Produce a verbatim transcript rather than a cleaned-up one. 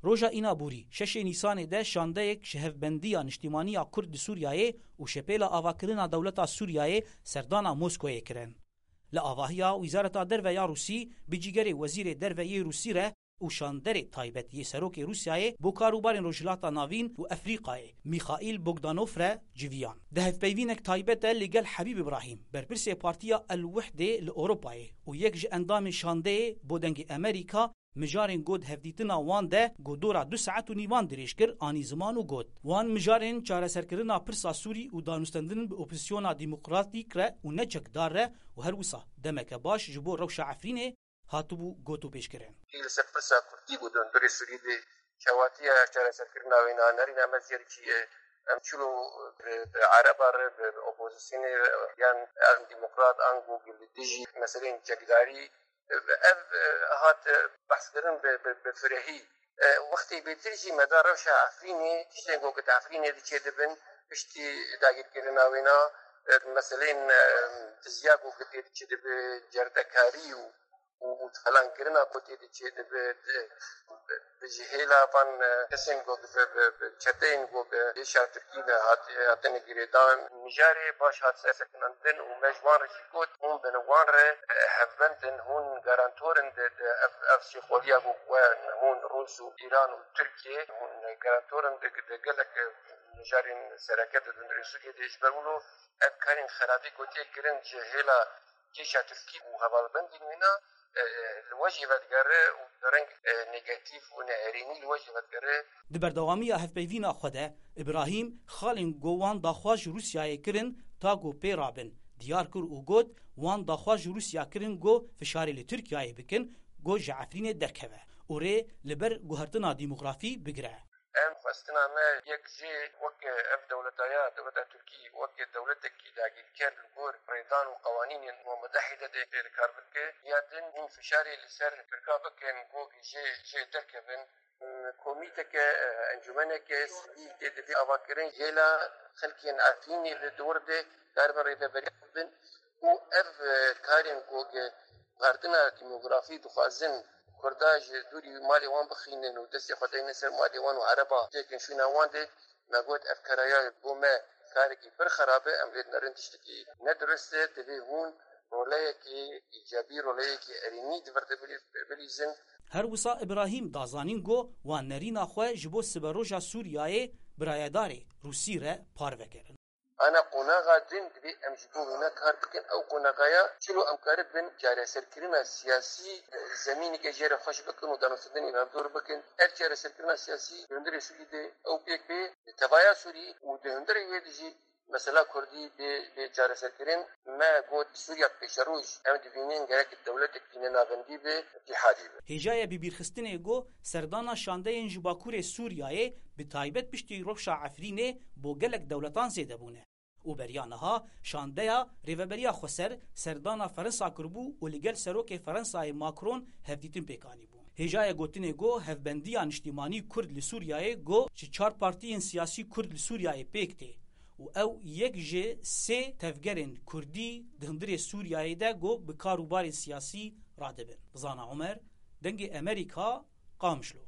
Roja Înaborî, şeşê Nîsanê de şandeyek ji Hevbendiya Niştimanî ya Kurd li Sûriyeyê û Şepêla Avakirina Dewleta Sûriyeyê serdana Moskoyê kirin. Li avahiya Wizareta Derve ya Rûsî bi cîgerê Wezîrê Derve yê Rûsî re û şanderê taybet yê Serokê Rûsyayê bo karûbarên Rojhilata Navîn û Efrîqayê, Mîxaîl Bogdanov re civiyan. Di hevpeyvînek taybet de li gel Hebîb Îbrahîm, berpirsê Partiya El Wihdê li Ewropayê û yek ji endamên şandeyê bo Dengê Emerîka, mijarên got hevdîtina wan de ku dora du saet û nîvan dirêj kir, anî ziman û got, wan mijarên çareserkirina pirsa Sûrî û danûstendin bi opozîsyona demokratîk re û ne çekdar re û her wisa demeke baş ji bo rewşa Efrînê hatibû gotûbêjkirin. Li ser pirsa Kurdî bû di hundirê Sûrî de çawatiya çareserkirina wê na nerîna me zêr çi ye. Em çilo bi, bi Ereba re, bi, bi opozîsyonê re, yan an demokrat, ango li dijî meseleyên çekdarî, ev, e, hat, e, behskirin bi, bi, bi firehî. E, wextê bêtir jî me da rewşa Efrînê, tiştên ku di Efrînê diçe dibin, piştî dagirkirina wêna, e, meseleyên, e, diziya ku tê diçe dibe, cerdekarî û û, û talankirina ku tê diçe dibe, di, bi, bi ji hêla van, e, kesên ku bi, bi, bi çeteyên ku bi êşa Tirkî ve hat-, hatine girêdan. Mijarê baş hat sekinandin û me ji wan re jî got, hûn bin wan re, e, hevbend in, hûn garantor in di, di ev, ev şêxoliya ku we hûn Rûs û Îran û Tirkiye, hûn garantor in di, di gelek, e, mijarên sereke di hundirê Sûriyê de, ji ber wilo ev karên xerabî ku tê kirin ji hêla Kêşa Tirkî û hevalbendên wêna, e, li we jî vedigere û bi reng, e, negatîf û neerênî li we jî vedigere. Di berdewamiya hevpeyvîna xwe de, Îbrahîm, xalên ku wan daxwaz ji Rûsyayê kirin, ta ku pê rabin, diyar kir û got, wan daxwaz ji Rûsya kirin ku fişarê li Tirkiyeyê bikin, ku ji Efrînê derkeve û rê li ber guhertina demografî bigire. Em xwestina me yek jê weke ev dewleta ya, dewleta Tirkî, weke dewletekî dagirker li gor rêdan û qewanînên Umem Mutehîde de pê li kar bike. Ya din hûn fişarê li ser Tirka bikin, ku jê, jê derkevin. Komîteke, encûmeneke sivîl tê divê avakirin, hêla xelkên Efrînê li dor de karibin rêveberiya bibin. û ev, e, karên ku ge guhertina demografî dixwazin Kurda ji dûrî malê wan bixînin û destê xwe deynin ser malê wan û Ereba têkin şûna wan de, me got, ev karaya bo me karekî pir xerab e, em lê dinerin tiştekî ne dirust e, divê hûn roleyekî îcabî, roleyekî erênî di vir de bilî-, bilîzin. Her wisa Îbrahîm da zanîn ku wan nerîna xwe ji bo siberoja Sûriyeyê birayedarê Rûsî re parve kirin. Ana qonaxa din divê em ji bo wêna kar bikin. Ew qonaxaya çilo em karibin çareserkirina siyasî, zemîneke jê re xweş bikin û danûstendinê hevdor bikin. Ev çareserkirina siyasî di hundirê Sûrî de ew pêk bê, di tevaya Sûrî û di hundirê wê de jî mesela Kurdî bê, bê çareserkirin. Me got Sûriya pêşeroj em dibînin gerek dewletekî ne navendî be, îtîhadî be. Hêjayê bibîrxistinê got serdana şandeyên ji Bakurê Sûriyeyê bi taybet piştî rewşa Efrînê bo gelek dewletan zêde bûne. Û beriya niha şandeya Rêveberiya Xweser serdana Ferensa kiribû û li gel Serokê Ferensayê Macron hevdîtin pêk anîbû. Hêjayê gotinê got hevbendiya niştimanî Kurd li Sûriyeyê got ji çar partiyên siyasî Kurd li Sûriyeyê pêk tê û ew yek ji sê tevgerên Kurdî di hundirê Sûriyeyê de got bi kar û barên siyasî radibin. Zana Omer, Dengê Emerîka, Qamişlo.